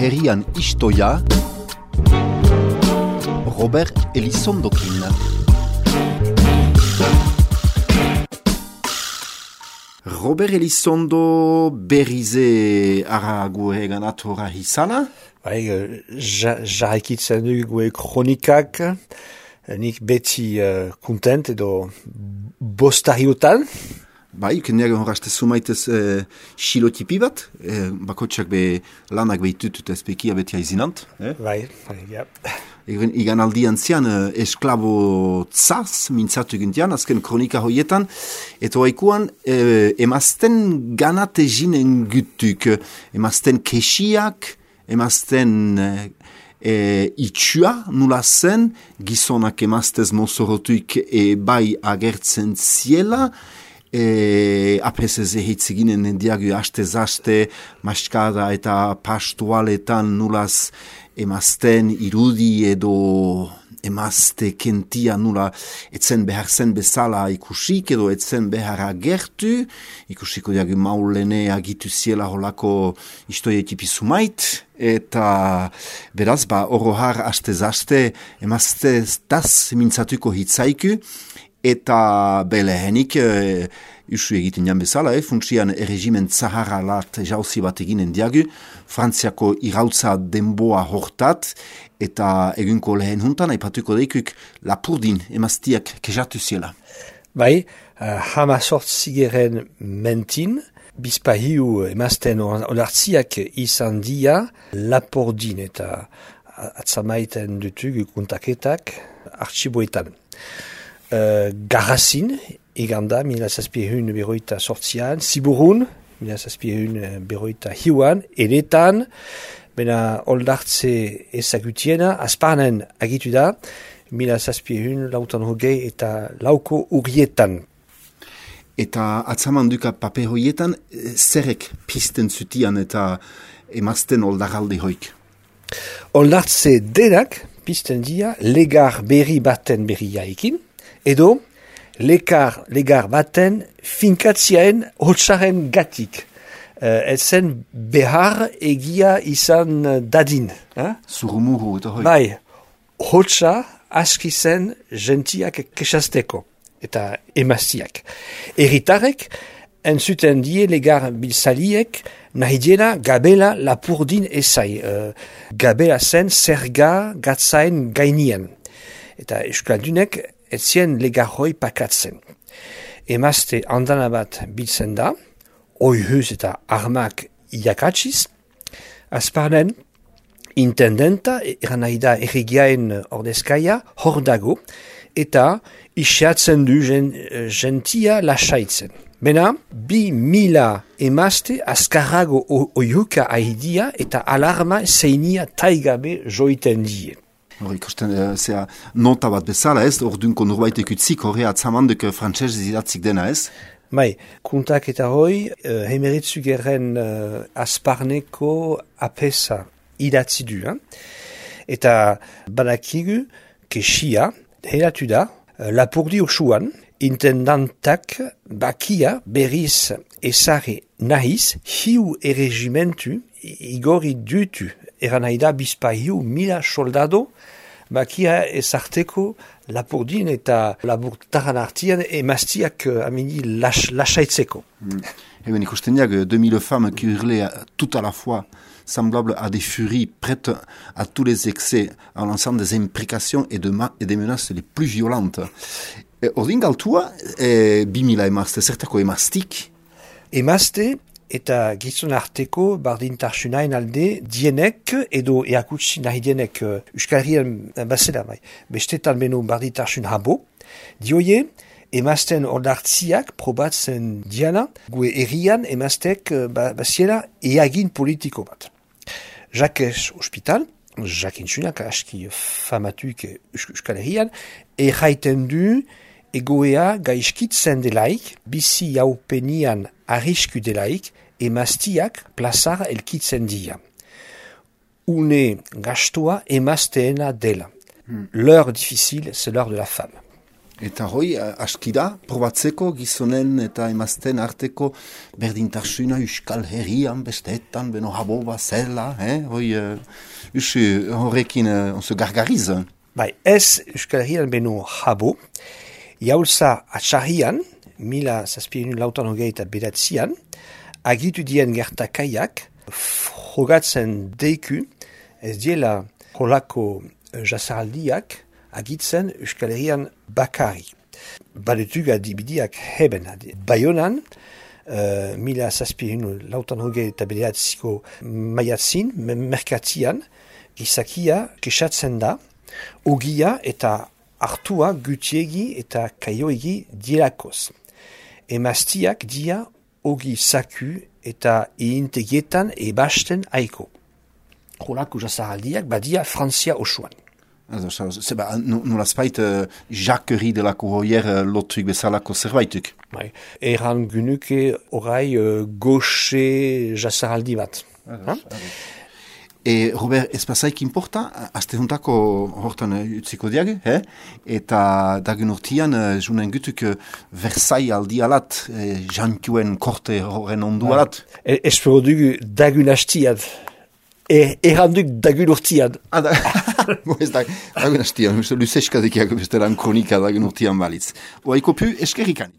herrian istoia Robert Elizondokin. Robert Elizondo berrize ara gue ganat hora hizala? Bai, jarraikitzen du gue kronikak, nik beti kontent edo bostariotan. Bai, kendeagen horazte sumaitez xilotipi bat, bakotxak be lanak behitut eta espekia beti haizinant. Bai, ja. Igan aldian zian esklabo tzaz, mintzatu gintian, azken kronika hoietan, eta haikuan emazten ganate jinen gutuk, emazten kesiak, emazten itxua nula zen, gizonak emaztez mozorotuik bai agertzen ziela, apesez ehitzeginen diagu haste-zaste, maskada eta pastualetan nulaz emazten irudi edo emazte kentia nula etzen behar zen bezala ikusik edo etzen behar agertu, ikusiko diagu maulene agitu ziela holako istoietipi sumait, eta beraz, orohar haste-zaste emazte taz mintzatuko hitzaiku, eta belehenik usu egiten jan bezala, funtsian erregimen zaharra lat jauzi bat eginen diagu, Frantziako irautza denboa hortat, eta egunko lehen juntan, aipatuko deikuk lapurdin emaztiak kexatu ziela. Bai, hamazortzigeren mentin, bizpahiu emazten onartziak izan dia, lapurdin eta atzamaiten dutugu kontaketak artxiboetan. Garrazin, iganda, 1708 Ziburun, 1708 eretan, bena oldartze ezagutiena, azparnen agitu da, 1708 eta lauko urrietan. Eta atzaman duka paper hoietan, zerek pisten zutian eta emazten oldaralde hoik? Oldartze denak pisten dia legar berri baten berriaikin, edo legar baten finkatziaen hotzaren gatik. Ezen behar egia izan dadin. Zurumuru eta hoi. Bai, hotza aski zen gentiak kesasteko eta emaztiak. Erritarek entzuten die legar biltzaliek nahi diena gabela lapurdin ezai. Gabela zen zerga gatzain gainien. Eta euskaldunek etzien legarroi pakatzen. Emazte andana bat biltzen da, oihuz eta armak iakatsiz, azparnen intendenta, eran nahi da erregiaen ordezkaia, hor dago, eta isiatzen du gentia lasaitzen. Bena, 2000 emazte azkarrago oihuka ahidia eta alarma zeinia taigabe joiten die. Ikusten, nota bat bezala ez, ordunko norbaitek utzik horre atzamandek frantzez idatzik dena ez? Bai, kontak eta hoi, hemeritzu gerren azparneko apesa idatzi du. Eta badakigu, kesia, helatu da, lapurdi osoan, intendantak bakia berriz ezare nahiz, hiu erregimentu igorri dutu. Eran nahi da bizpahiu 1000 soldado, bakia ezarteko lapurdin eta laburtaran artian emaztiak amini lasaitzeko. Eben ikusten diak, 2000 femmes qui hurlaient tout à la fois, semblables à des furies prêtes à tous les excès, en lançant des imprécations et des menaces les plus violentes. Ordin galtua, 2000 emazte, zertako emaztik? Emazte eta gizon arteko bardintarsunain alde dienek edo eakutsi nahi dienek Euskal Herrian bazela bai. Bestetan beno bardintarsun habo. Dioie, emazten ordartziak probatzen diana, gue herrian emaztek baziela eagin politiko bat. Jakez Hospital, jakintsunak aski famatuik Euskal Herrian, erraiten du egoea gaizkitzen delaik, bizi jaupenian arrisku delaik, emaztiak plazara elkitzen dia. Une gastoa emazteena dela. L'heure difficile, c'est l'heure de la femme. Eta hoi, askida, probatzeko gizonen eta emazten arteko berdintasuna Euskal Herrian besteetan, beno habo bazela, hoi, horrekin onzo gargariz. Bai, ez Euskal Herrian beno habo, jaulza atxarrian, 1789 agitu dien gertakaiak, frogatzen deiku, ez diela holako jasaraldiak, agitzen Euskal Herrian bakari. Badetug adibidiak heben. Baionan, 1789 maiatzin, merkatian, gizakia kesatzen da, ogia eta hartua gutiegi eta kaioegi dielakoz. Emaztiak dia ogi saku eta iintegietan ebasten aiko. Holako jasaraldiak badia Frantzia osoan. Zeba, nola spait, Jacquerie delako hoier lotuik bezalako zerbaituk. Eran gunuke orai goxe jasaraldi bat. Robert, ez pasaik importa, azte juntako hortan utziko diag, eta dagun urtian, junen gutuk Versailles aldi alat, jankuen korte horren ondu alat. Espero dugu dagun hastiad. Erranduk dagun urtian. Ez dagun hastian, luzeskadekiak bestelan kronika dagun urtian balitz. Oaiko pu eskerrikan.